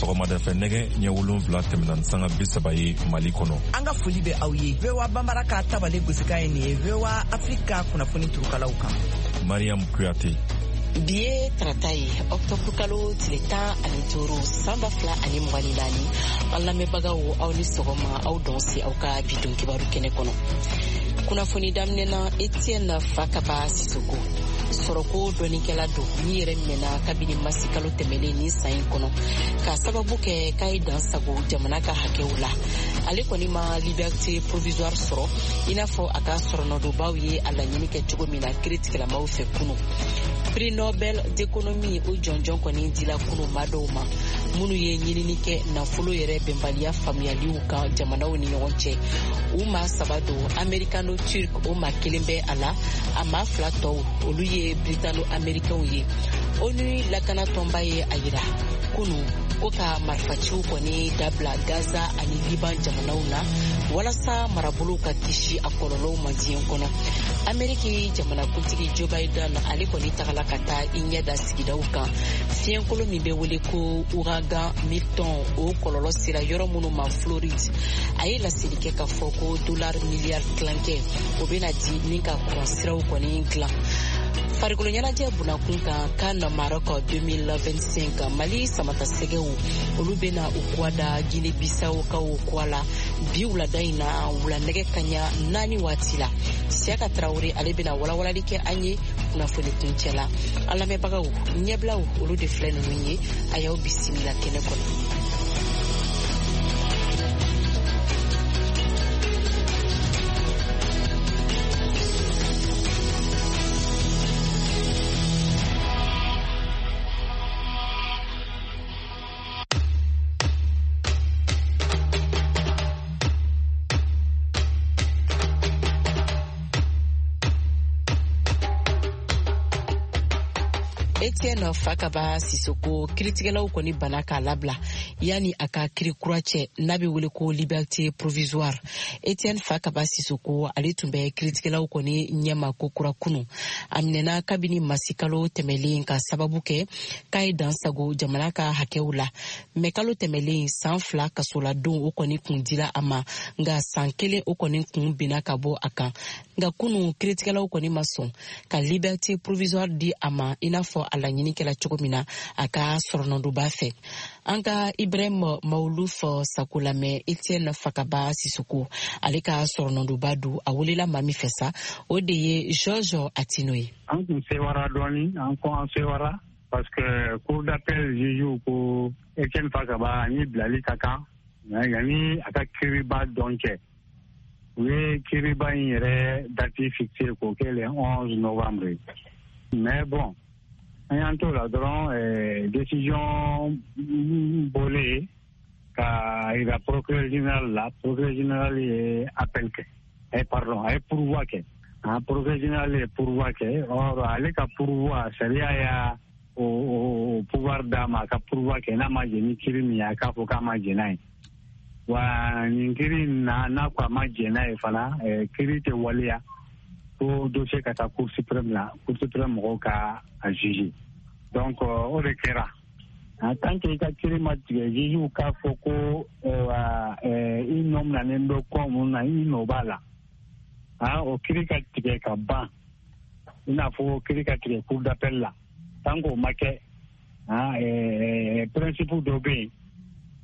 Sɔgɔmada fɛ, nɛgɛ ɲɛ 7 tɛmɛna ni sanga 30 ye Mali kɔnɔ. An ka foli bɛ aw ye. VOA Banbara ka tabale gosikan ye nin ye, VOA Afrika kunnafoni turukalaw kan. Mariam Kuyate. Bi ye tarata ye, ɔktɔburu kalo tile 15, san 2024. An lamɛnbagaw, aw ni sɔgɔma, aw danse aw ka bi don kibaru kɛnɛ kɔnɔ. Kunnafoni daminɛ na, Etienne Fakaba Sisoko, sɔrɔko dɔnnikɛla don min yɛrɛ minɛna kabini masi kalo tɛmɛlen ni san in kɔnɔ, k'a sababu kɛ k'a ye dan sago jamana ka hakɛw la. Ale kɔni ma liberté provisoire sɔrɔ i n'a fɔ a ka sɔrɔnɔdonbaw ye a laɲini kɛ cogo min na kiritigɛlamaw fɛ kunu. Prix Nobel d'économie, o jɔnjɔn kɔni dila kunu maa dɔw ma minnu ye ɲinini kɛ nafolo yɛrɛ bɛnbaliya faamuyaliw kan jamanaw ni ɲɔgɔn cɛ. U maa saba don, américano turc o maa kelen bɛ a la, a maa fila tɔw, olu ye britano américainw ye. ONU lakana tɔnba ye a yira kunu ko ka marifaciw kɔni dabila Gaza ani Liban jamanaw na, walasa marabolow ka kisi a kɔlɔlɔw ma diɲɛ kɔnɔ. Ameriki jamanakuntigi Joe Biden, ale kɔni tagala ka taa i ɲɛ da sigidaw kan, fiɲɛkolo min bɛ wele ko ouragan Milton, o kɔlɔlɔ sera yɔrɔ minnu ma Floride. A ye laseli kɛ k'a fɔ ko dollar miliyari tilankɛ, o bɛna di ni ka kuran siraw kɔni dilan. Farikolo ɲɛnajɛ bunakun kan, CAN Maroc 2025, Mali samatasɛgɛw, olu bɛna u kuwa da Guinée Bissau kaw kuwa la bi wulada in na, wula nɛgɛ kaɲa 4 waati la. Siyaka Tarawele, ale bɛna walawalali kɛ an ye kunnafoni kuncɛ la. An lamɛnbagaw, ɲɛbilaw, olu de filɛ ninnu ye. A y'aw bisimila kɛnɛ kɔnɔ. Etienne Fakaba Sisoko, kiritigɛlaw kɔni bana k'a labila yanni a ka kiri kura cɛ n'a bɛ wele ko liberté provisoire. Etienne Fakaba Sisoko, ale tun bɛ kiritigɛlaw kɔni ɲɛma ko kura kunu. A minɛna kabini masikalo tɛmɛlen ka sababu kɛ k'a ye dan sago jamana ka hakɛw la. Mɛ kalo tɛmɛlen, san 2 kasoladon, o kɔni kun dila a ma, nka san 1, o kɔni kun binna ka bɔ a kan. Nka kunu, kiritigɛlaw kɔni ma sɔn ka liberté provisoire di a ma i n'a fɔ a laɲini kɛla cogo min na a ka sɔrɔnɔdonba fɛ. An ka Ibrahim Mawuluf Sako lamɛn. Etienne Fakaba Sisoko, ale ka sɔrɔnɔdonba don, a welela maa min fɛ sa, o de ye Georges Atino ye. An kun sewara dɔɔni, an ko an sewara parce que cour d'appel juge ko Etienne Fakaba ni bilali ka kan yanni a ka kiriba dɔn cɛ. U ye kiriba in yɛrɛ date fixé k'o kɛ le 11 novembre. Mais bon, an y'an t'o la dɔrɔn, décision bɔlen ka yira procureur général la, procureur général ye appel kɛ, pardon, a ye pourvoi kɛ. Ah, procureur général ye pourvoi kɛ. Or ale ka pourvoi, sariya y'a o pouvoir d'a ma a ka pourvoi kɛ n'a ma jɛn ni kiri min ye, a k'a fɔ k'a ma jɛn n'a ye. Wa nin kiri in na, n'a ko a ma jɛn n'a ye fana, kiri tɛ waleya fo dossier ka taa Cour suprême la, Cour suprême mɔgɔw ka a juger. Donc o de kɛra. En tant que i ka kiri ma tigɛ, juge k'a fɔ ko i nɔ minɛnen bɛ ko mun na, i nɔ b'a la, ah, o kiri ka tigɛ ka ban, i n'a fɔ kiri ka tigɛ cour d'appel la, tant k'o ma kɛ, ah, principe dɔ bɛ yen,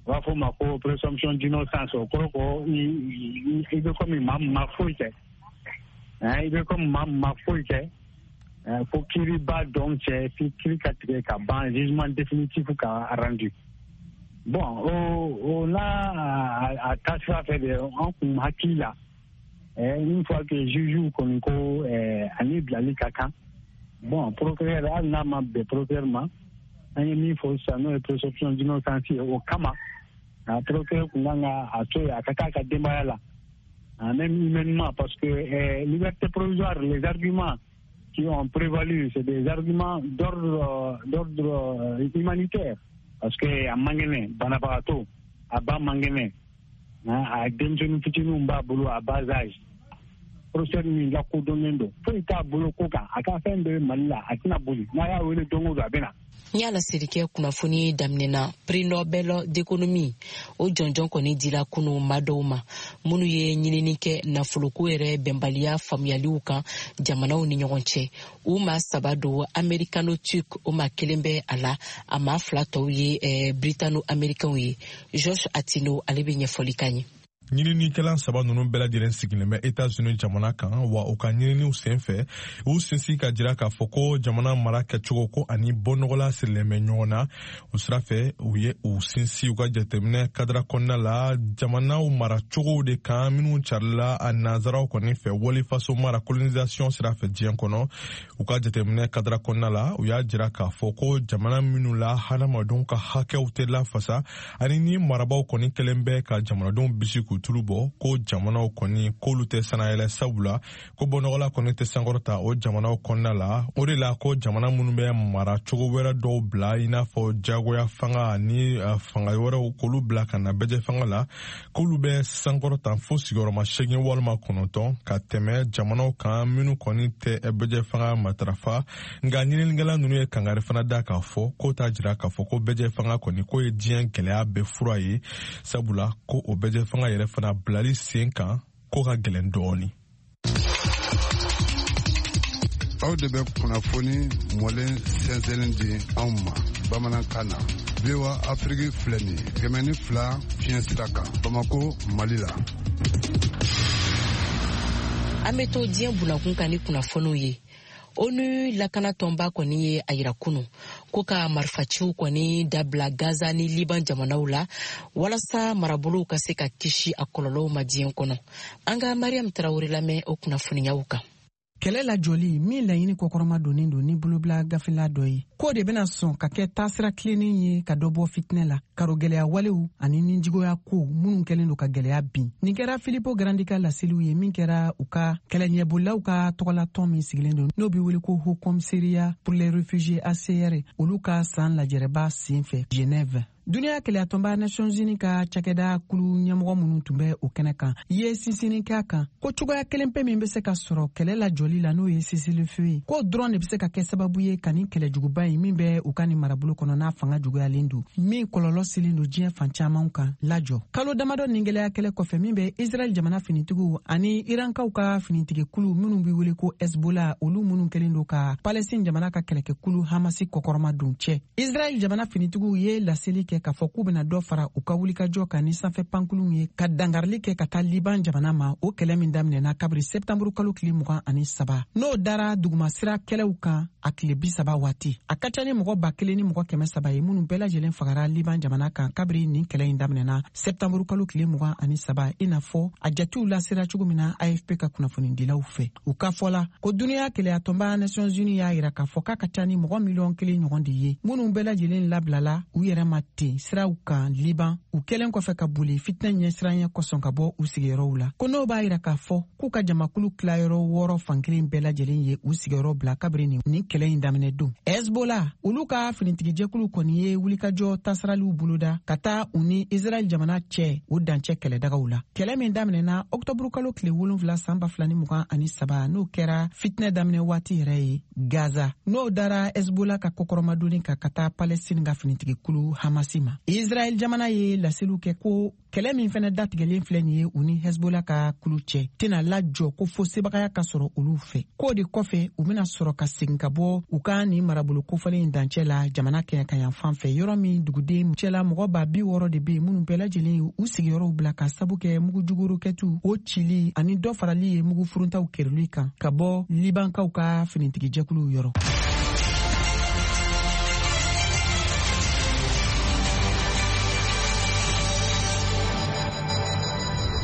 u b'a fɔ o ma ko présomption d'innocence. O kɔrɔ ko i bɛ komi maa min ma foyi kɛ, i bɛ komi maa min ma foyi kɛ fo kiriba dɔn cɛ, fi kiri ka tigɛ ka ban, jugement définitif ka rendu. Bon, o n'a a taasira fɛ de, an kun hakili la, une fois que juge kɔni ko ani bilali ka kan, bon, procureur, hali n'a ma bɛn procureur ma, an ye min fɔ sisan, n'o ye présomption d'innocence ye, o kama a procureur kun kan ka a to yen a ka taa a ka denbaya la, même humainement, parce que liberté provisoire, les arguments qui ont prévalu, c'est des arguments d'ordre humanitaire, parce que a man kɛnɛ, banabagatɔ, a ba man kɛnɛ, a denmisɛnnin fitininw b'a bolo à bas âge, professeur min lakodɔnnen don, foyi t'a bolo ko kan, a ka fɛn bɛɛ bɛ Mali la, a tɛna boli, n'a y'a wele don o don, a bɛ na. N y'a laseli kɛ kunnafoni daminɛ na, prix Nobel d'économie o jɔnjɔn kɔni dila kunu maa dɔw ma minnu ye ɲinini kɛ nafoloko yɛrɛ bɛnbaliya faamuyaliw kan jamanaw ni ɲɔgɔn cɛ. U maa saba don, américano turc o maa kelen bɛ a la, a maa fila tɔw ye britano américainw ye. Georges Atino ale bɛ ɲɛfɔli k'an ye. Ɲininikɛla saba ninnu bɛɛ lajɛlen sigilen bɛ Etats-Unis jamana kan wa, u ka ɲininiw sen fɛ, u sinsin ka jira k'a fɔ ko jamana mara kɛcogo ko ani bɔnɔgɔla sirilen bɛ ɲɔgɔn na. O sira fɛ, u ye u sinsin u ka jateminɛ kadara kɔnɔna la jamanaw maracogow de kan minnu carila a nanzaraw kɔni fɛ walifaso mara, colonisation sira fɛ diɲɛ kɔnɔ. U ka jateminɛ kadara kɔnɔna la, u y'a jira k'a fɔ ko jamana minnu la hadamadenw ka hakɛw tɛ lafasa ani ni marabaw kɔni kɛlen bɛ ka jamanadenw bisi k'u tulu bɔ, ko jamanaw kɔni k'olu tɛ sanayɛlɛ, sabula ko bɔnɔgɔla kɔni tɛ sankɔrɔta o jamanaw kɔnɔna la. O de la ko jamana minnu bɛ mara cogo wɛrɛ dɔw bila, i n'a fɔ jagoya fanga ni fanga wɛrɛw, k'olu bila ka na bɛjɛ fanga la, k'olu bɛ sankɔrɔta fo sigiyɔrɔma 8 walima 9 ka tɛmɛ jamanaw kan minnu kɔni tɛ bɛjɛ fanga matarafa. Nka ɲininikɛla ninnu ye kangari fana da k'a fɔ k'o t'a jira k'a fɔ ko bɛjɛ fanga kɔni k'o ye diɲɛ gɛlɛya bɛɛ fura ye, sabula ko o bɛjɛ fanga yɛrɛ fana bilali sen kan ko ka gɛlɛn dɔɔni. Aw de bɛ kunnafoni mɔlen sɛnsɛnlen di anw ma bamanankan na. VOA Afiriki filɛ nin ye, 102 fiɲɛ sira kan, Bamako, Mali la. An bɛ to diɲɛ bunakun kan ni kunnafoniw ye. ONU lakanatɔnba kɔni ye a yira kunu ko ka marifaciw kɔni dabila Gaza ni Liban jamanaw la walasa marabolow ka se ka kisi a kɔlɔlɔw ma diɲɛ kɔnɔ. An ka Mariam Tarawele lamɛn o kunnafoniyaw kan. Kɛlɛ lajɔli min laɲini kɔkɔrɔma donnen don ni bolobila gafela dɔ ye, k'o de bɛna sɔn ka kɛ taasira tilennen ye ka dɔ bɔ fitinɛ la, karogɛlɛya walew ani nijuguya kow minnu kɛlen don ka gɛlɛya bin. Nin kɛra Filippo Grandi ka laseliw ye min kɛra u ka kɛlɛɲɛbolilaw ka tɔgɔlatɔn min sigilen don, n'o bɛ wele ko Haut Commissariat pour les réfugiés, HCR, olu ka san lajɛrɛba sen fɛ Genève. Duniya kelenyatɔnba Nations Unies ka cakɛda kulu ɲɛmɔgɔ minnu tun bɛ o kɛnɛ kan ye sinsinni kɛ a kan ko cogoya kelen pe min bɛ se ka sɔrɔ kɛlɛ lajɔli la, n'o ye cessez-le-feu ye, k'o dɔrɔn de bɛ se ka kɛ sababu ye ka nin kɛlɛjuguba in min bɛ u ka nin marabolo kɔnɔ, n'a fanga juguyalen don, min kɔlɔlɔ selen don diɲɛ fan caman kan, lajɔ. Kalo damadɔ nin gɛlɛya kɛlɛ kɔfɛ min bɛ Israɛl jamana finitigiw ani Irankaw ka finitigikulu minnu bɛ wele ko Hezbollah, olu minnu kɛlen don ka Palestine jamana ka kɛlɛkɛkulu Hamasi kɔkɔrɔma don cɛ, Israɛl jamana finitigiw ye laseli kɛ k'a fɔ k'u bɛna dɔ fara u ka wulikajɔ kan ni sanfɛ pankuluw ye ka dangarili kɛ ka taa Liban jamana ma. O kɛlɛ min daminɛna kabiri sɛptanburu kalo tile 23, n'o dara dugumasira kɛlɛw kan a tile 30 waati, a ka ca ni mɔgɔ 1300 ye minnu bɛɛ lajɛlen fagara Liban jamana kan kabiri nin kɛlɛ in daminɛna sɛptanburu kalo tile 23, i n'a fɔ a jatew lasera cogo min na AFP ka kunnafonidilaw fɛ. U ka fɔ la ko duniya kelenyatɔnba Nations Unies y'a yira k'a fɔ k'a ka ca ni mɔgɔ 1 miliyɔn ɲɔgɔn de ye minnu bɛɛ lajɛlen labilala u yɛrɛ ma ten siraw kan Liban, u kɛlen kɔfɛ ka boli fitinɛ ɲɛsiranya kosɔn ka bɔ u sigiyɔrɔw la, ko n'o b'a yira k'a fɔ k'u ka jamakulu tilayɔrɔ wɔɔrɔ fankelen bɛɛ lajɛlen ye u sigiyɔrɔ bila kabiri nin kɛlɛ in daminɛ don. Hezbollah, olu ka finitigijɛkulu kɔni ye wulikajɔ tasaraliw boloda ka taa u ni Israɛl jamana cɛ o dancɛ kɛlɛdagaw la. Kɛlɛ min daminɛna ɔktɔburu kalo tile 7 san 2023, n'o kɛra fitinɛ daminɛ waati yɛrɛ ye Gaza, n'o dara Hezbollah ka kɔkɔrɔmadonni kan ka taa Palestine ka finitigikulu Hamasi ma. Israɛl jamana ye laseliw kɛ ko kɛlɛ min fɛnɛ datigɛlen filɛ nin ye u ni Hezbollah ka kulu cɛ tɛna lajɔ ko fo sebagaya ka sɔrɔ olu fɛ, k'o de kɔfɛ u bɛna sɔrɔ ka segin ka bɔ u ka nin marabolo kofɔlen in dancɛ la jamana kɛɲɛkayan fan fɛ, yɔrɔ min duguden cɛla mɔgɔ 60,000 de bɛ yen minnu bɛɛ lajɛlen ye u sigiyɔrɔw bila ka sabu kɛ mugujugu rokɛtiw o cili ani dɔ farali ye mugu furuntaw kerili kan ka bɔ Libankaw ka finitigijɛkuluw yɔrɔ.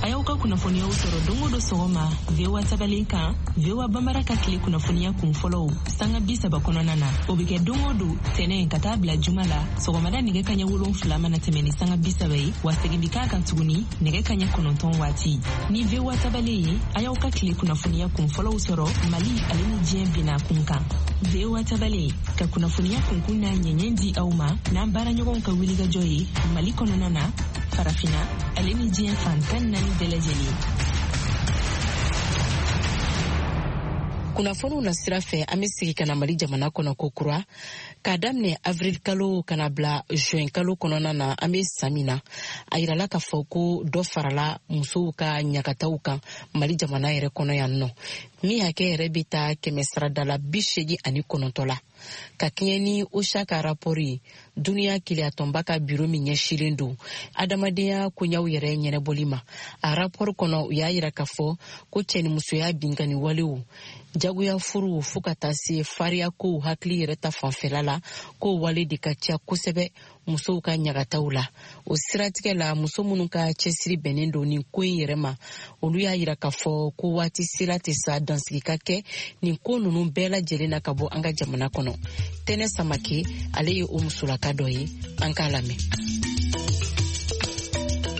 A y'aw ka kunnafoniyaw sɔrɔ don o don sɔgɔma VOA tabalen kan, VOA Bambara ka tile kunnafoniya kun fɔlɔw sanga 30 kɔnɔna na. O bɛ kɛ don o don tɛnɛ ka taa bila juma la, sɔgɔmada nɛgɛ kaɲɛ 7 mana tɛmɛ ni sanga 30 ye, wa segin bi k'a kan tuguni nɛgɛ kaɲɛ 9 waati. Ni VOA tabalen ye, a y'aw ka tile kunnafoniya kun fɔlɔw sɔrɔ Mali ale ni diɲɛ bina kun kan. VOA tabalen ka kunnafoniya kunkun n'a ɲɛɲɛ di aw ma n'an baaraɲɔgɔnw ka wulikajɔ ye Mali kɔnɔna na, Farafina ale ni diɲɛ fan 14 bɛɛ lajɛlen. Kunnafoniw na sira fɛ, an bɛ sigi ka na Mali jamana kɔnɔ ko kura. K'a daminɛ avril kalo ka na bila juin kalo kɔnɔna na, an bɛ san min na, a yirala k'a fɔ ko dɔ farala musow ka ɲagataw kan Mali jamana yɛrɛ kɔnɔ yan nɔ, min hakɛ yɛrɛ bɛ taa 89% la, ka kɛɲɛ ni OCHA ka rapport ye, duniya keleyatɔnba ka biro min ɲɛsilen don adamadenya koɲaw yɛrɛ ɲɛnabɔli ma. A rapport kɔnɔ, u y'a yira k'a fɔ ko cɛnimusoya binkani walew, jagoya furuw, fo ka taa se fariya kow hakili yɛrɛ ta fanfɛla la, k'o wale de ka ca kosɛbɛ musow ka ɲagataw la. O siratigɛ la, muso minnu ka cɛsiri bɛnnen don nin ko in yɛrɛ ma, olu y'a yira k'a fɔ ko waati sera tɛ sa dansigi ka kɛ nin ko ninnu bɛɛ lajɛlen na ka bɔ an ka jamana kɔnɔ. Tɛnɛ Samake, ale ye o musolaka dɔ ye, an k'a lamɛn.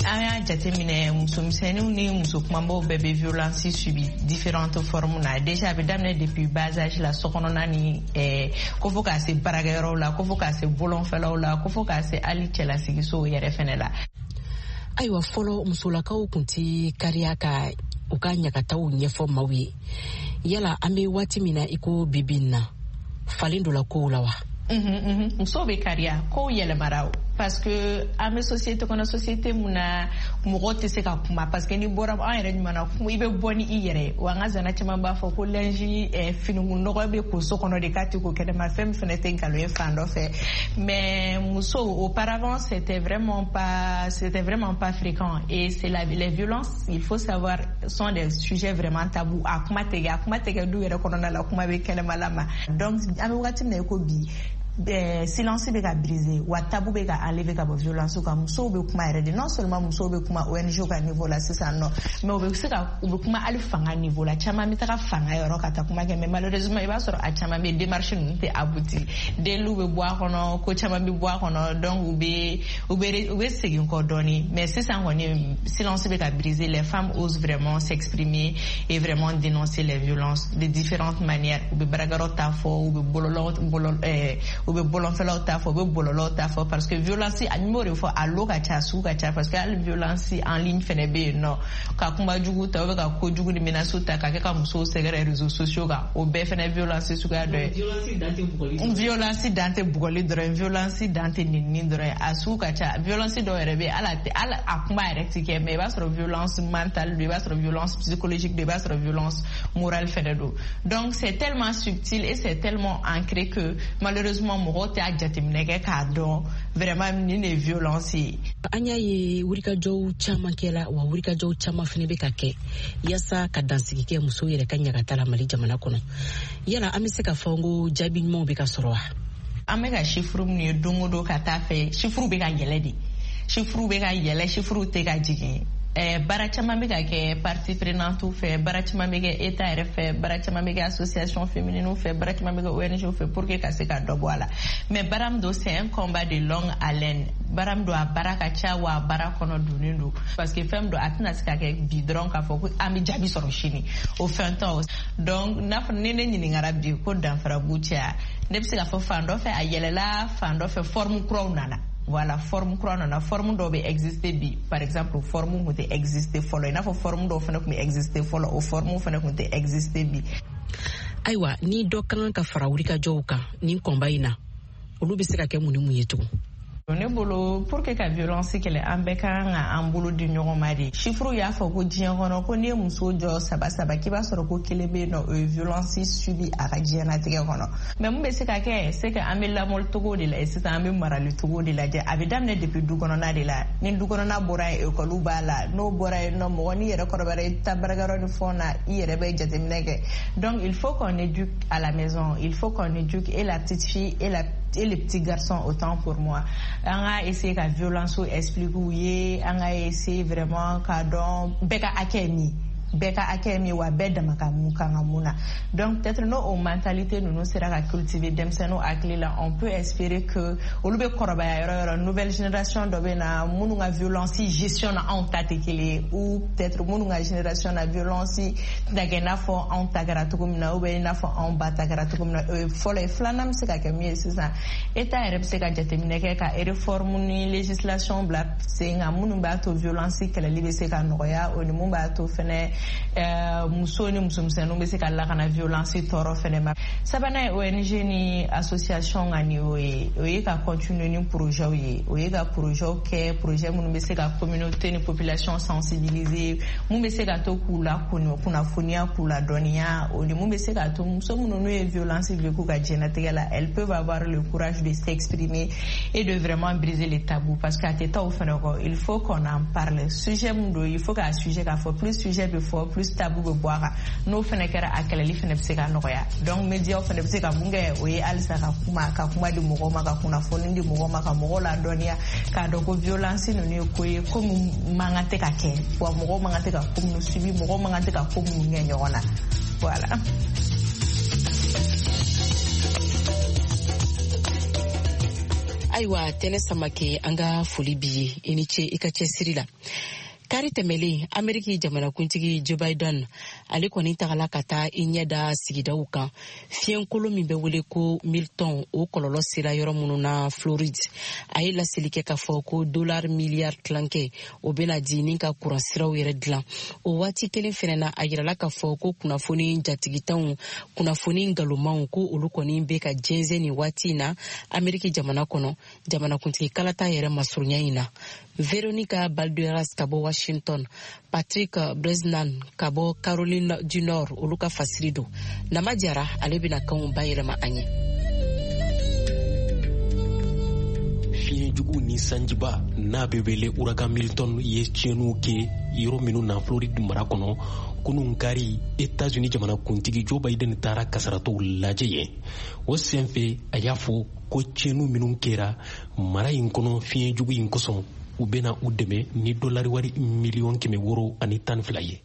An y'a jateminɛ, musomisɛnninw ni muso kumabaw bɛɛ bɛ violence subi différentes formes na. Déjà, a bɛ daminɛ depuis bas âge la, sokɔnɔna ni ko fo k'a se baarakɛyɔrɔw la, ko fo k'a se bolonfɛlaw la, ko fo k'a se hali cɛlasigisow yɛrɛ fɛnɛ la. Ayiwa, fɔlɔ musolakaw kun ti kariya ka u ka ɲagataw ɲɛfɔ maaw ye. Yala an bɛ waati min na i ko bibi in na, falen dɔ la kow la wa? Musow bɛ kariya, kow yɛlɛmara, parce que an bɛ société kɔnɔ, société mun na mɔgɔ tɛ se ka kuma, parce que n'i bɔra an yɛrɛ ɲuman na, i bɛ bɔ ni i yɛrɛ ye. Wa an ka zana caman b'a fɔ ko linge finikun nɔgɔ bɛ ko so kɔnɔ de, k'a tɛ ko kɛnɛma. Fɛn min fɛnɛ tɛ nkalon ye fan dɔ fɛ, mais musow, auparavant, c'était vraiment pas fréquent. Et c'est la les violences, il faut savoir, sont des sujets vraiment tabous. A kuma tɛ kɛ du yɛrɛ kɔnɔna la, kuma bɛ kɛnɛmala ma. Donc an bɛ wagati min na i ko bi, silence bɛ ka briser, wa tabou bɛ ka enlever ka bɔ violence kan. Musow bɛ kuma yɛrɛ de. Non seulement musow bɛ kuma ONG ka niveau la sisan nɔ, mais u bɛ se ka u bɛ kuma hali fanga niveau la. Caman bɛ taga fanga yɔrɔ ka taa kuma kɛ, mais malheureusement, i b'a sɔrɔ a caman bɛ démarche ninnu tɛ abouti, deliw bɛ bɔ a kɔnɔ, ko caman bɛ bɔ a kɔnɔ, donc u bɛ segin kɔ dɔɔni. Mais sisan kɔni, silence bɛ ka briser, les femmes osent vraiment s'exprimer et vraiment dénoncer les violences de différentes manières. U bɛ baarakɛyɔrɔ ta fɔ, u bɛ bɔlɔlɔ bɔlɔ u bɛ bɔlɔnfɛlaw ta fɔ, u bɛ bɔlɔlɔw ta fɔ, parce que violence, n b'o de fɔ, a lo ka ca, a sugu ka ca, parce que hali violence en ligne fɛnɛ bɛ yen nɔ, ka kuma jugu ta ou ka kojugu ni menace ta ka kɛ ka musow sɛgɛrɛ réseaux sociaux kan, o bɛɛ fɛnɛ violence suguya dɔ ye. Violence dan tɛ bugɔli dɔrɔn ye, violence dan tɛ nɛnini dɔrɔn ye, a sugu ka ca. Violence dɔw yɛrɛ bɛ yen, hali a tɛ hali a kuma yɛrɛ ti kɛ, mais i b'a sɔrɔ violence mentale don, i b'a sɔrɔ violence psychologique don, i b'a sɔrɔ violence morale fɛnɛ don. Donc c'est tellement subtil et c'est tellement ancré que malheureusement, mɔgɔw t'a jateminɛ kɛ k'a dɔn vraiment nin de ye violence ye. An y'a ye wulikajɔw caman kɛla, wa wulikajɔw caman fɛnɛ bɛ ka kɛ yaasa ka dansigi kɛ musow yɛrɛ ka ɲagata la Mali jamana kɔnɔ. Yala an bɛ se ka fɔ ko jaabi ɲumanw bɛ ka sɔrɔ wa? An bɛ ka chiffre minnu ye don o don ka taa fɛ, chiffre bɛ ka yɛlɛ de, chiffre bɛ ka yɛlɛ, chiffre tɛ ka jigin. Baara caman bɛ ka kɛ partie prenante fɛ, baara caman bɛ kɛ état yɛrɛ fɛ, baara caman bɛ kɛ association féminine fɛ, baara caman bɛ kɛ ONG fɛ pour que ka se ka dɔ bɔ a la. Mais baara min don, c'est un combat de longue haleine. Baara min don, a baara ka ca, wa a baara kɔnɔ donnen don, parce que fɛn min don, a tɛna se ka kɛ bi dɔrɔn k'a fɔ ko an bɛ jaabi sɔrɔ sini, o fɛn tɛ. Donc n'a fɔ ni ne ɲininkara bi ko danfara b'u cɛ, ne bɛ se k'a fɔ fan dɔ fɛ a yɛlɛla, fan dɔ fɛ forme kuraw nana. Voilà, forme kura nana, forme dɔw bɛ exister bi. Par exemple, forme kun tɛ exister fɔlɔ, i n'a fɔ forme dɔw fana tun bɛ exister fɔlɔ, o forme fana tun tɛ exister bi. Ayiwa, ni dɔ ka kan ka fara wulikajɔw kan nin kɔnba in na, olu bɛ se ka kɛ mun ni mun ye tugun? Ne bolo, pour que ka violence kɛlɛ, an bɛɛ ka kan ka an bolo di ɲɔgɔn ma de. Chiffre y'a fɔ ko diɲɛ kɔnɔ, ko n'i ye muso jɔ saba saba, k'i b'a sɔrɔ ko kelen bɛ yen nɔ, o ye violence subi a ka diɲɛlatigɛ kɔnɔ. Mais mun bɛ se ka kɛ? C'est que an bɛ lamɔli cogo de la sisan, an bɛ marali cogo de lajɛ. A bɛ daminɛ depuis du kɔnɔna de la. Ni du kɔnɔna bɔra yen, ekɔliw b'a la. N'o bɔra yen nɔ, mɔgɔ n'i yɛrɛ kɔrɔbayara, i taa baarakɛyɔrɔ ni fɛnw na, i yɛrɛ bɛ jateminɛ kɛ. Donc il faut qu'on éduque à la maison, il faut qu'on éduque et la petite fille et le petit garçon, autant pour moi. An ka essayer ka violence expliquer u ye, an ka essayer vraiment k'a dɔn bɛɛ ka hakɛ ye min, bɛɛ ka hakɛ ye min, wa bɛɛ dama ka mun kan ka mun na. Donc peut-être n'o o mentalité ninnu sera ka cultiver denmisɛnninw hakili la, on peut espérer que olu bɛ kɔrɔbaya yɔrɔ yɔrɔ, nouvelle génération dɔ bɛ na minnu ka violence gestion na anw ta tɛ kelen ye, ou peut-être minnu ka génération na violence tɛna kɛ i n'a fɔ anw ta kɛra cogo min na, ou bien i n'a fɔ anw ba ta kɛra cogo min na. O ye fɔlɔ ye. Filanan bɛ se ka kɛ min ye sisan, état yɛrɛ bɛ se ka jateminɛ kɛ ka réforme ni législation bila sen kan minnu b'a to violence kɛlɛli bɛ se ka nɔgɔya, o ni mun b'a to fɛnɛ. Muso ni musomisɛnninw bɛ se ka lakana violence tɔɔrɔ fɛnɛ ma. Sabanan ye ONG ni association ka niveau ye, o ye ka continuer ni projet ye, o ye ka projet kɛ, projet minnu bɛ se ka communauté ni population sensibiliser, mun bɛ se ka to k'u la kunnafoniya, k'u ladɔnniya, o ni mun bɛ se ka to muso minnu n'u ye violence vécu ka diɲɛnatigɛ la, elles peuvent avoir le courage de s'exprimer et de vraiment briser les tabous, parce que a tɛ taa o fɛnɛ kɔ, il faut qu'on en parle. Sujet mun don, il faut k'a sujet k'a fɔ, plus sujet bɛ fɔ, plus tabou bɛ bɔ a kan. N'o fɛnɛ kɛra, a kɛlɛli fɛnɛ bɛ se ka nɔgɔya. Donc médiaw fɛnɛ bɛ se ka mun kɛ, o ye halisa ka kuma di mɔgɔw ma, ka kunnafoni di mɔgɔw ma, ka mɔgɔw ladɔnniya k'a dɔn ko violence ninnu ye ko ye, ko mun man kan tɛ ka kɛ, wa mɔgɔw man kan tɛ ka ko minnu subi, mɔgɔw man kan tɛ ka ko minnu kɛ ɲɔgɔn na. Voilà. Ayiwa, Tɛnɛ Samake, an ka foli b'i ye, i ni ce i ka cɛsiri la. Kari tɛmɛlen, Ameriki jamanakuntigi Joe Biden, ale kɔni tagala ka taa i ɲɛ da sigidaw kan, fiɲɛkolo min bɛ wele ko Milton, o kɔlɔlɔ sera yɔrɔ minnu na Floride. A ye laseli kɛ k'a fɔ ko dollar miliyari tilankɛ, o bɛna di ni ka kuransiraw yɛrɛ dilan. O waati kelen fɛnɛ na, a yirala k'a fɔ ko kunnafoni jatigitanw, kunnafoni ngalomanw, ko olu kɔni bɛ ka jɛnsɛn nin waati in na Ameriki jamana kɔnɔ, jamanakuntigi kalata yɛrɛ masurunya in na. Veronica Balderas ka bɔ Washington, Patrick Bresnan ka bɔ Caroline du Nord, olu ka fasiri don. Nama Jara, ale bɛna kanw bayɛlɛma an ye. Fiɲɛjugu ni sanjiba n'a bɛ wele ouragan Milton ye tiɲɛniw kɛ yɔrɔ minnu na Floride mara kɔnɔ, kunun kari, Etats-Unis jamana kuntigi Joe Biden taara kasaratɔw lajɛ yen. O senfɛ, a y'a fɔ ko tiɲɛniw minnu kɛra mara in kɔnɔ fiɲɛjugu in kosɔn, u bɛna u dɛmɛ ni dolari wari miliyɔn 612 ye.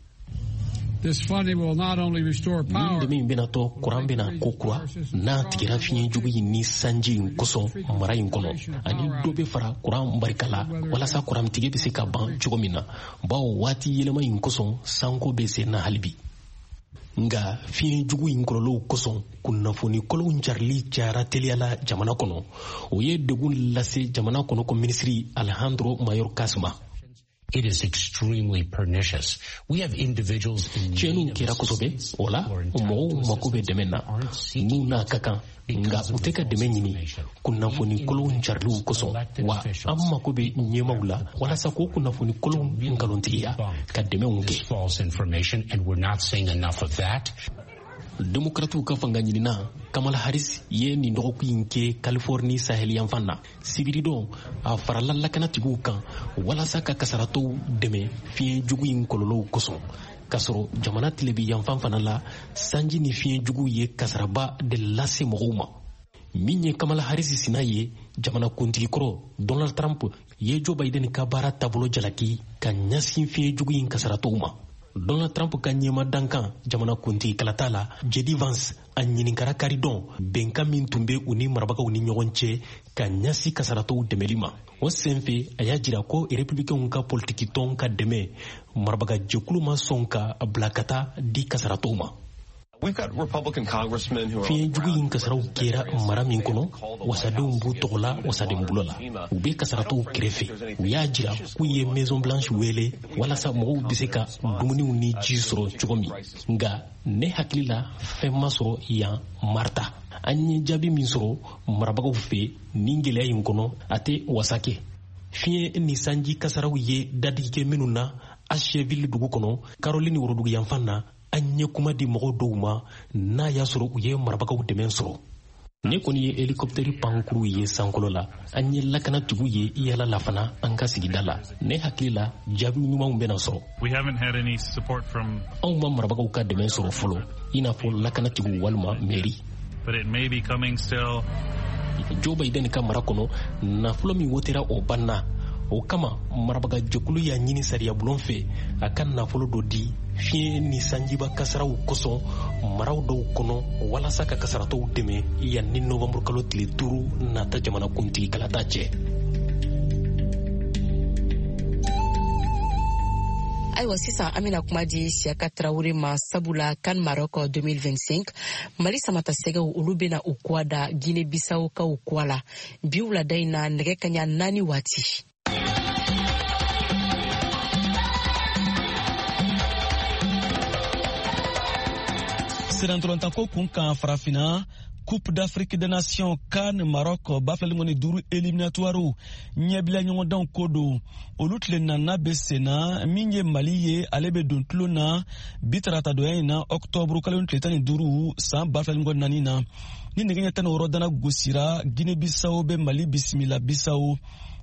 Nin dɛmɛ in bɛna to kuran bɛna ko kura n'a tigɛra fiɲɛjugu in ni sanji in kosɔn mara in kɔnɔ, ani dɔ bɛ fara kuran barika la walasa kurantigɛ bɛ se ka ban cogo min na, bawo waati yɛlɛma in kosɔn, sanko bɛ sen na hali bi. Nga fiɲɛjugu in kɔlɔlɔw kosɔn, kunnafoni kolonw carili cayara teliya la jamana kɔnɔ. O ye degun lase jamana kɔnɔ ko minisiri Alejandro Mayorkas ma. It is extremely pernicious. We have individuals in Tiɲɛniw kɛra kosɛbɛ, o la mɔgɔw mako bɛ dɛmɛ na n'u n'a ka kan, nka u tɛ ka dɛmɛ ɲini kunnafoni kolonw cariliw kosɔn. Wa an mako bɛ ɲɛmaw la walasa k'o kunnafoni kolonw nkalontigiya ka dɛmɛw kɛ. False information, and we're not seeing enough of that. Demokratiw ka fanga ɲinina Kamala Harris ye nin dɔgɔkun in kɛ Californie saheliyanfan na. Sibiridon, a farala lakanatigiw kan walasa ka kasaratɔw dɛmɛ fiɲɛ jugu in kɔlɔlɔw kosɔn, k'a sɔrɔ jamana tilebi yanfan fana la, sanji ni fiɲɛ jugu ye kasaraba de lase mɔgɔw ma. Min ye Kamala Harris sina ye, jamana kuntigi kɔrɔ Donald Trump ye Joe Biden ka baara taabolo jalaki ka ɲɛsin fiɲɛ jugu in kasaratɔw ma. Donald Trump ka ɲɛma dankan jamana kuntigi kalata la, JD Vance, a ɲininkara karidon bɛnkan min tun bɛ u ni marabagaw ni ɲɔgɔn cɛ ka ɲɛsin kasaratɔw dɛmɛli ma. O senfɛ, a y'a jira ko Republicainw ka politikitɔn ka dɛmɛ marabagajɛkulu ma sɔn ka bila ka taa di kasaratɔw ma. Fiɲɛ jugu in kasaraw kɛra mara min kɔnɔ, wasadenw b'u tɔgɔ la wasaden bulon la, u bɛ kasaratɔw kɛrɛfɛ. U y'a jira k'u ye Maison Blanche wele walasa mɔgɔw bɛ se ka dumuniw ni ji sɔrɔ cogo min, nka ne hakili la, fɛn ma sɔrɔ yan Marta. An ye jaabi min sɔrɔ marabagaw fɛ nin gɛlɛya in kɔnɔ, a tɛ wasa kɛ. Fiɲɛ ni sanji kasaraw ye dadigi kɛ minnu na Asheville dugu kɔnɔ, Caroline woroduguyanfan na, an ye kuma di mɔgɔw dɔw ma n'a y'a sɔrɔ u ye marabagaw dɛmɛ sɔrɔ. Ne kɔni ye helikɔptɛri pankuru ye sankolo la, an ye lakanatigiw ye yala la fana an ka sigida la. Ne hakili la, jaabi ɲumanw bɛna sɔrɔ. Anw ma marabagaw ka dɛmɛ sɔrɔ fɔlɔ, i n'a fɔ lakanatigiw walima mɛri. Joe Biden ka mara kɔnɔ, nafolo min wotera, o banna. O kama, marabagajɛkulu y'a ɲini sariyabulon fɛ a ka nafolo dɔ di fiɲɛ ni sanjiba kasaraw kosɔn maraw dɔw kɔnɔ walasa ka kasaratɔw dɛmɛ yanni ni novanburu kalo tile 5 nata jamana kuntigi kalata cɛ. Ayiwa, sisan an bena kuma di Siyaka Tarawure ma, sabula CAN Maroc 2025, Mali samata sɛgɛw, olu bena u kuwa da Guinée Bissau kaw kuwa la bi wulada in na, nɛgɛ kaɲa 4 waati. Sirantɔlɔntanko kun kan Farafina, Coupe d'Afrique des Nations CAN Maroc 2025 éliminatoire ɲɛbila ɲɔgɔndanw ko don. Olu tile nana bɛ senna. Min ye Mali ye, ale bɛ don tulon na bi taratadonya in na, octobre kalo tile 15 san 2024 na. Ni nɛgɛ ɲɛ 16 dana gosira, Guinée Bissau bɛ Mali bisimila Bissau.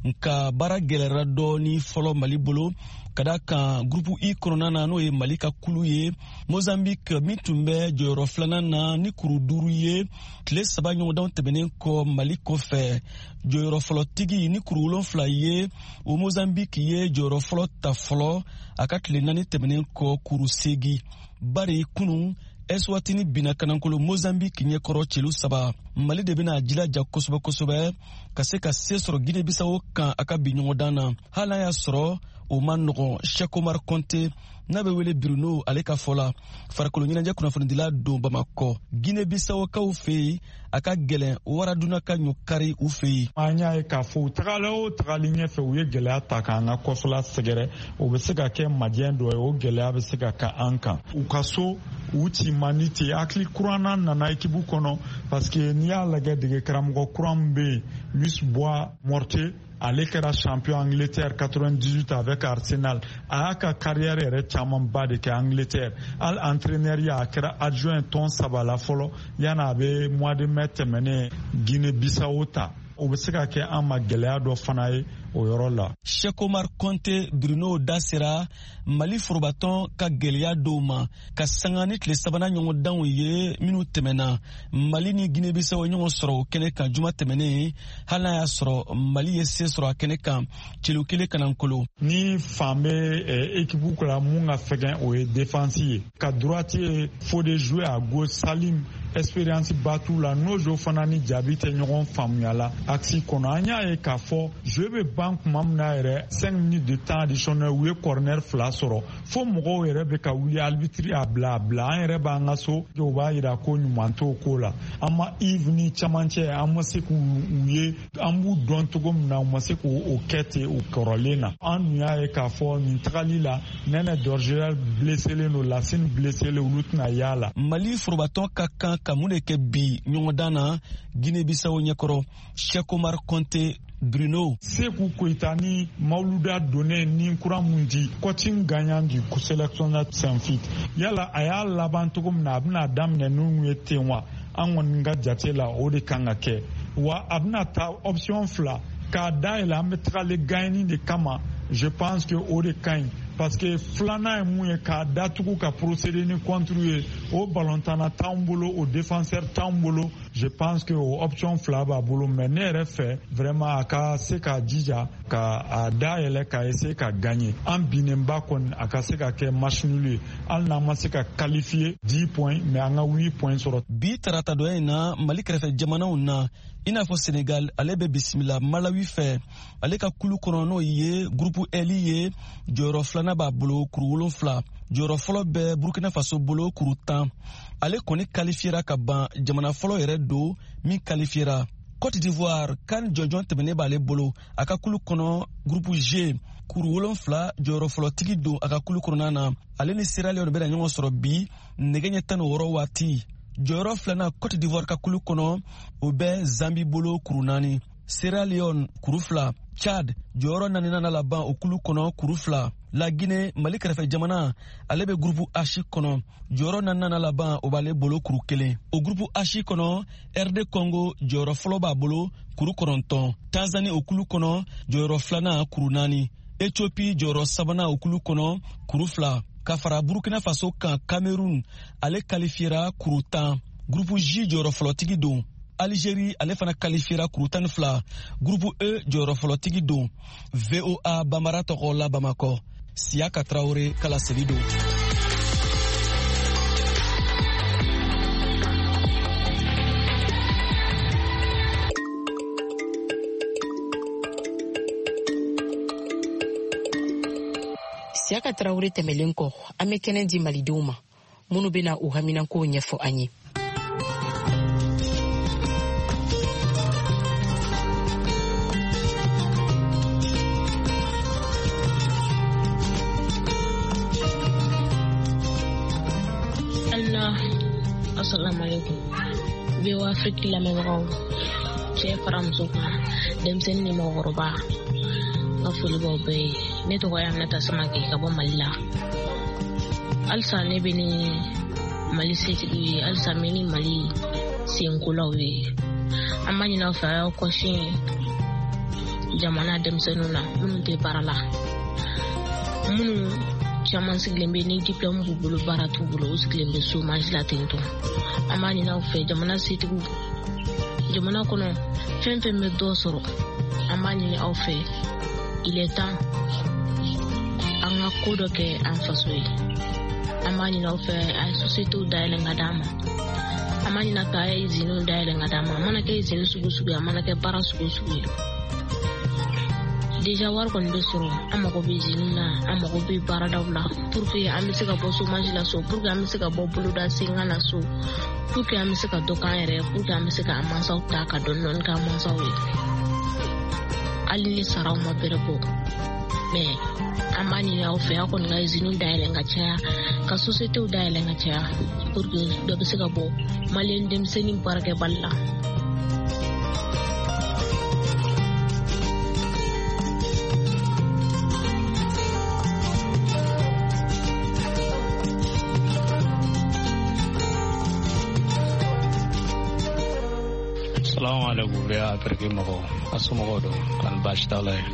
Nka baara gɛlɛyara dɔɔni fɔlɔ Mali bolo, ka da kan groupe I kɔnɔna na, n'o ye Mali ka kulu ye, Mozambique min tun bɛ jɔyɔrɔ filanan na ni kuru 5 ye tile 3 ɲɔgɔndanw tɛmɛnen kɔ Mali kɔfɛ, jɔyɔrɔ fɔlɔtigi ni kuru 7 ye, o Mozambique ye jɔyɔrɔ fɔlɔ ta fɔlɔ a ka tile 4 tɛmɛnen kɔ, kuru 8. Bari kunun Eswatini binna kanankolo Mozambique ɲɛkɔrɔ celu 3. Mali de bɛna jilaja kosɛbɛ kosɛbɛ ka se ka se sɔrɔ Guinée Bissau kan a ka bi ɲɔgɔndan na, hali n'a y'a sɔrɔ o ma nɔgɔn. Cheikh Omar Konte n'a bɛ wele Bruno, ale ka fɔ la, farikolo ɲɛnajɛ kunnafonidila don Bamakɔ, Guinée Bissaukaw fɛ yen, a ka gɛlɛn waraduna ka ɲɔ kari u fɛ yen. An y'a ye k'a fɔ u tagala o tagali ɲɛfɛ, u ye gɛlɛya ta k'an ka kɔfɛla sɛgɛrɛ. O bɛ se ka kɛ majɛ dɔ ye, o gɛlɛya bɛ se ka kɛ an kan. U ka so u ci man di ten. Hakili kuranna nana ekipu kɔnɔ, parce que n'i y'a lajɛ, dege karamɔgɔ kura min bɛ yen, Luis Boa Morte, ale kɛra champion Angleterre 98 avec Arsenal. A y'a ka carrière yɛrɛ camanba de kɛ Angleterre. Hali entraîneur ya, a kɛra adjoint tɔn 3 la fɔlɔ yanni a bɛ mois de mai tɛmɛnen Guinée Bissau ta. O bɛ se ka kɛ an ma gɛlɛya dɔ fana ye o yɔrɔ la. Cheikh Omar Konte Bruno da sera Mali forobatɔn ka gɛlɛya dɔw ma ka sanga ni tile 3nan ɲɔgɔndanw ye minnu tɛmɛna. Mali ni Guinée Bissau ɲɔgɔn sɔrɔ o kɛnɛ kan juma tɛmɛnen, hali n'a y'a sɔrɔ Mali ye se sɔrɔ a kɛnɛ kan celu 1 kanankolo. Ni fan bɛ équipe la mun ka fɛgɛn, o ye défense ye. Ka droite ye Fodé jouer à gauche, Salim expérience ba t'u la, n'o fana ni Jaabi tɛ ɲɔgɔn faamuya la axe kɔnɔ. An y'a ye k'a fɔ jeu bɛ ban tuma min na yɛrɛ, 5 minutes de temps additionnel, u ye corner 2 sɔrɔ, fo mɔgɔw yɛrɛ bɛ ka wuli, arbitre y'a bila a bila. An yɛrɛ b'an ka so, o b'a yira ko ɲuman t'o ko la. An ma Yves ni camancɛ, an ma se k'u ye, an b'u dɔn cogo min na, u ma se k'o kɛ ten o kɔrɔlen na. An dun y'a ye k'a fɔ nin tagali la, Nɛnɛ Dorgel blesselen don, Lasine blesselen, olu tɛna y'a la. Mali forobatɔn ka kan ka mun de kɛ bi ɲɔgɔndan na Guinée Bissau ɲɛkɔrɔ? Cheikh Omar Konte Bruno. Sekou Koita ni Mauluda donnen ni kura mun di, coaching gagnant du sélectionneur Saint-Fit. Yala a y'a laban cogo min na, a bɛna daminɛ n'u ye ten wa? An kɔni ka jate la, o de kan ka kɛ. Wa a bɛna taa option 2 k'a dayɛlɛ, an bɛ tagalen gagner de kama. Je pense que o de ka ɲi, parce que filanan ye mun ye, k'a datugu ka procéder ni contre ye, o ballontanna t'anw bolo, o défenseur t'anw bolo. Je pense que o option 2 b'a bolo, mais ne yɛrɛ fɛ vraiment a ka se k'a jija ka a dayɛlɛ ka essayer ka gagner. An binnenba kɔni, a ka se ka kɛ match nul ye, hali n'an ma se ka qualifier 10 points, mais an ka 8 points sɔrɔ. Bi taratadonya in na, Mali kɛrɛfɛ jamanaw na, i n'a fɔ Senegal, ale bɛ bisimila Malawi fɛ. Ale ka kulu kɔnɔ, n'o ye groupe L ye, jɔyɔrɔ filanan b'a bolo, kuru 7. Jɔyɔrɔ fɔlɔ bɛ Burkina Faso bolo, kuru 10. Ale kɔni kalifiyera ka ban, jamana fɔlɔ yɛrɛ don min kalifiyera. Côte d'Ivoire, CAN jɔnjɔn tɛmɛnen b'ale bolo a ka kulu kɔnɔ, groupe G, kuru 7, jɔyɔrɔ fɔlɔtigi don a ka kulu kɔnɔna na. Ale ni Sierra Leone bɛna ɲɔgɔn sɔrɔ bi nɛgɛ ɲɛ 16 waati. Jɔyɔrɔ filanan Côte d'Ivoire ka kulu kɔnɔ, o bɛ Zambi bolo, kuru 4, Sierra Leone kuru 2, Chad jɔyɔrɔ naaninan laban o kulu kɔnɔ, kuru 2. La Guinée, Mali kɛrɛfɛ jamana, ale bɛ groupe H kɔnɔ, jɔyɔrɔ naaninan laban o b'ale bolo, kuru 1. O groupe H kɔnɔ, RD Congo jɔyɔrɔ fɔlɔ b'a bolo, kuru 9. Tanzanie o kulu kɔnɔ, jɔyɔrɔ filanan, kuru 4. Ethiopie jɔyɔrɔ sabanan o kulu kɔnɔ, kuru 2. Ka fara Burkina Faso kan, Cameroun ale kalifiyera, kuru 10, groupe J jɔyɔrɔ fɔlɔtigi don. Algérie ale fana kalifiyera, kuru 12, groupe E jɔyɔrɔ fɔlɔtigi don. VOA Bambara tɔgɔ la Bamakɔ, Siyaka Traoré kala seli don. Siyaka Traoré tɛmɛlen kɔ, an bɛ kɛnɛ di malidenw ma minnu bɛna u haminankow ɲɛfɔ an ye. Allah. Assalamu alaikum. VOA Afrique lamɛnbagaw, cɛ fara muso kan, denmisɛnnin ni mɔgɔkɔrɔba, n ka foli b'aw bɛɛ ye. Ne tɔgɔ ye Aminata Samake ka bɔ Mali la. Halisa ne bɛ ni Mali setigiw ye, halisa n bɛ ni Mali senkolaw ye. An b'a ɲini aw fɛ, a y'aw kɔsin jamana denmisɛnninw na minnu tɛ baara la, minnu caman sigilen bɛ ni diplôme b'u bolo, baara t'u bolo, u sigilen bɛ chômage la ten tɔ. An b'a ɲini aw fɛ, jamana setigiw, jamana kɔnɔ fɛn fɛn bɛ dɔ sɔrɔ, an b'a ɲini aw fɛ, il est temps an ka ko dɔ kɛ an faso ye. An b'a ɲini aw fɛ, a ye sociétéw dayɛlɛ ka d'an ma. An b'a ɲini aw fɛ, a ye usines dayɛlɛ ka d'an ma. A mana kɛ usine sugu sugu ye, a mana kɛ baara sugu sugu ye, déjà wari kɔni bɛ sɔrɔ. An mago bɛ usine na, an mago bɛ baaradaw la, pour que an bɛ se ka bɔ chômage la so, pour que an bɛ se ka bɔ boloda senkan na so, pour que an bɛ se ka dɔ k'an yɛrɛ ye, pour que an bɛ se k'an mansaw ta ka dɔɔni dɔɔni k'an mansaw ye, hali ni saraw ma bɛrɛ bɔ. Mais an b'a ɲini aw fɛ, aw kɔni ka usine dayɛlɛ ka caya, ka sociétéw dayɛlɛ ka caya, pour que dɔ bɛ se ka bɔ maliyɛn denmisɛnnin baarakɛbali la. Salamu alaikum, VOA Afrique mɔgɔw, a somɔgɔw don, kani baasi t'aw la ye?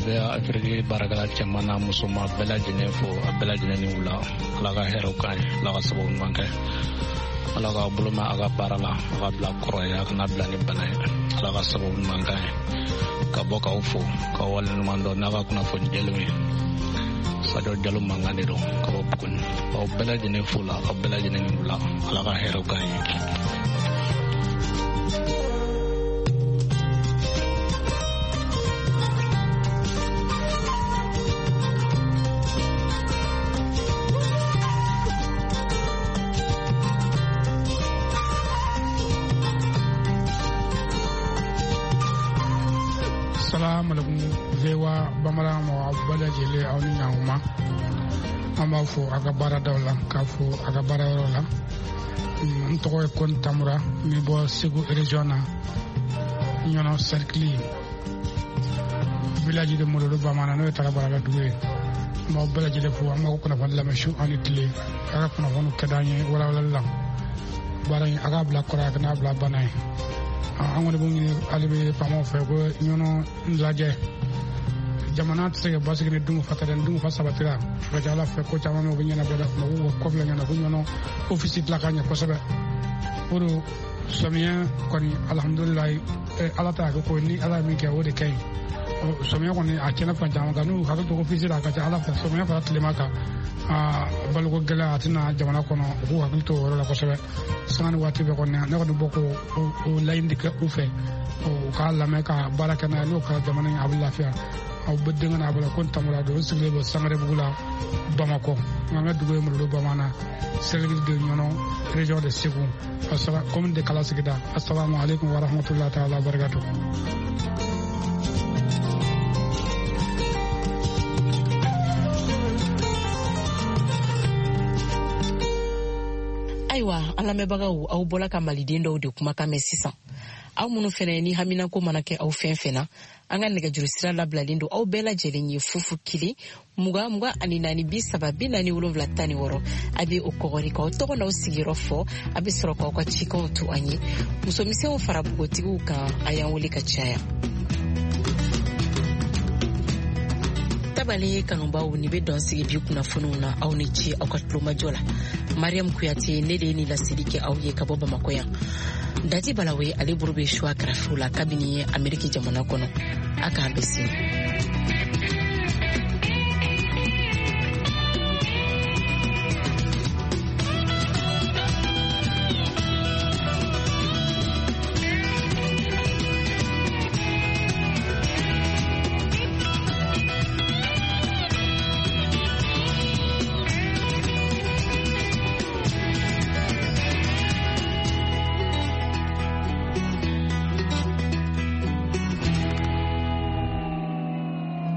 VOA Afrique baarakɛla cɛman n'a musoman bɛɛ lajɛlen fo, a bɛɛ lajɛlen ni wula. Ala ka hɛrɛw k'an ye, Ala ka sababu ɲuman kɛ, Ala ka bolo mɛn a ka baara la, a ka bila kɔrɔ ye, a kana bila ni bana ye. Ala ka sababu ɲuman k'an ye. Ka bɔ k'aw fo k'aw waleɲuman dɔn n'a ka kunnafoni jɛlenw ye. Sadio Jalo mankan de don ka bɔ Buguni. Aw bɛɛ lajɛlen fo la, aw bɛɛ lajɛlen ni wula. Ala ka hɛrɛw k'an ye. Salamu alaikum, VOA Bambara mɔgɔ bɛɛ lajɛlen, aw ni ɲankuma. An b'a fo a ka baaradaw la, k'a fo a ka baarayɔrɔ la. N tɔgɔ ye Kɔni Tamura, n bɛ bɔ Segu région na, Ɲɔnɔ cercle, village de Mololo Bamana, n'o ye Tarabaraka dugu ye. N b'aw bɛɛ lajɛlen fo. An b'aw kunnafoni lamɛn su ani tile. A ka kunnafoniw ka d'an ye walawalali la. Baara in, a k'a bila kɔrɔ, a kana bila bana ye. An kɔni b'o ɲini hali bi faamaw fɛ ko Ɲɔnɔ lajɛ. Jamana tɛ se ka basigi ni dunkafa tɛ dɛ. Ni dunkafa sabatira, a ka ca Ala fɛ, ko caman bɛ yen, o bɛ ɲɛnabɔ dɛ. Mɛ k'u kɔfilɛ ɲɛna ko Ɲɔnɔ ofisi dilan ka ɲɛ kosɛbɛ. O don samiya kɔni, alhamdulilayi, Ala ta kɛ ko ni Ala ye min kɛ, o de ka ɲi. Samiya kɔni, a tiɲɛna fan caman kan. N'u hakili to ofisi la, a ka ca Ala fɛ, samiya fara tilema kan, baloko gɛlɛya a tɛna jamana kɔnɔ. U k'u hakili to o yɔrɔ la kosɛbɛ, sanga ni waati bɛɛ kɔni. Ne kɔni bɔ ko o laɲini de kɛ u fɛ, u k'a lamɛn ka baara kɛ n'a ye. N'o kɛra, jamana in a bɛ lafiya. Aw bɛ denkɛ n'a bolo ko n tamura don, n sigilen bɛ Sangarebugu la, Bamakɔ. Nka n ka dugu ye Mololo Bamana, cercle de Ɲɔnɔ, région de Segu, commune de Kala sigida. Assalamu alaikum wa rahmatullahi ta'ala wa barakatuh. Ayiwa, an lamɛnbagaw, aw bɔla ka maliden dɔw de kumakan mɛn sisan. Aw minnu fɛnɛ ni haminako mana kɛ aw fɛn fɛn na, an ka nɛgɛjuru sira labilalen don aw bɛɛ lajɛlen ye: 0 0 20 24 30 47 16. A bɛ o kɔgɔri k'aw tɔgɔ n'aw sigiyɔrɔ fɔ, a bɛ sɔrɔ k'aw ka cikanw to an ye. Musomisɛnw fara npogotigiw kan, a y'an wele ka caya. Tabale kanubaw, ni bɛ dɔn sigi bi kunnafoniw na. Aw ni ce aw ka tulomajɔ la. Mariam Kuyate, ne de ye nin laseli kɛ aw ye ka bɔ Bamakɔ yan. Dati Balawe, ale bolo bɛ suwa karafiw la kabini Ameriki jamana kɔnɔ. A k'an bɛ sini.